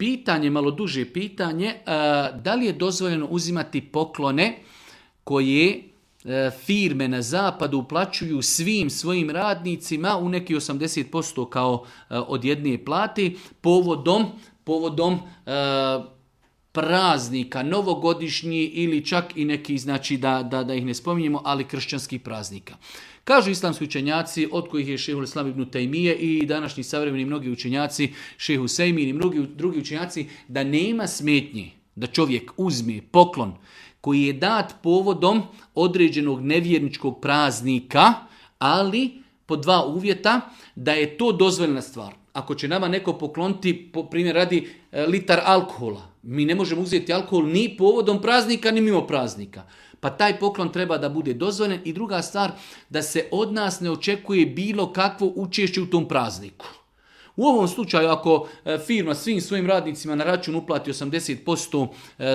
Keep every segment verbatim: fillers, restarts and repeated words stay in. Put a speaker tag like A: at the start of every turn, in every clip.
A: pitanje, malo duže pitanje, da li je dozvoljeno uzimati poklone koje firme na zapadu uplaćuju svim svojim radnicima u neki osamdeset posto kao od jedne plate povodom, povodom praznika, novogodišnji ili čak i neki, znači da, da, da ih ne spominjemo, ali kršćanskih praznika. Kažu islamski učenjaci, od kojih je šejhul Islam ibn Tejmije i današnji savremeni mnogi učenjaci, šejh Husejmin i mnogi drugi učenjaci, da nema smetnje da čovjek uzme poklon koji je dat povodom određenog nevjerničkog praznika, ali po dva uvjeta, da je to dozvoljena stvar. Ako će nama neko pokloniti, po primjer radi, litar alkohola, mi ne možemo uzeti alkohol ni povodom praznika, ni mimo praznika. Pa taj poklon treba da bude dozvoljen. I druga stvar, da se od nas ne očekuje bilo kakvo učešće u tom prazniku. U ovom slučaju, ako firma svim svojim radnicima na račun uplati osamdeset posto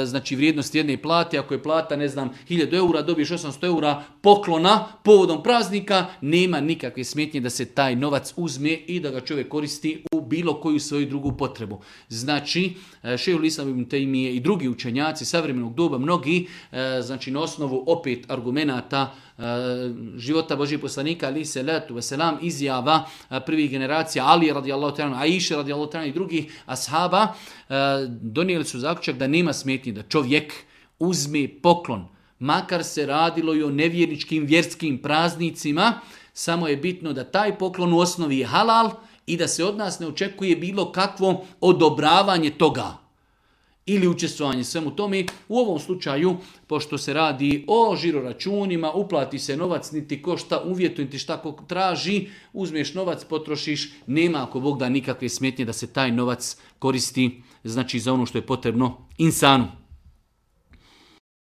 A: znači vrijednosti jedne plate, ako je plata, ne znam, hiljadu eura, dobiješ osamsto eura poklona povodom praznika, nema nikakve smetnje da se taj novac uzme i da ga čovjek koristi u bilo koju svoju drugu potrebu. Znači, šejhul Islam ibn Tejmije i drugi učenjaci savremenog doba, mnogi, znači na osnovu opet argumenata života Božijeg poslanika, ali se letu veselam, izjava prvih generacija, Ali radijallahu ta'ala, Aisha radijallahu ta'ala i drugih ashaba, donijeli su zaključak da nema smetnje da čovjek uzme poklon, makar se radilo i o nevjerničkim vjerskim praznicima, samo je bitno da taj poklon u osnovi je halal i da se od nas ne očekuje bilo kakvo odobravanje toga ili učestvovanje svemu tome. U ovom slučaju, pošto se radi o žiroračunima, uplati se novac, niti ko šta uvjetuje, niti šta ko traži, uzmeš novac, potrošiš, nema ako Bog da nikakve smetnje da se taj novac koristi, znači za ono što je potrebno insanu.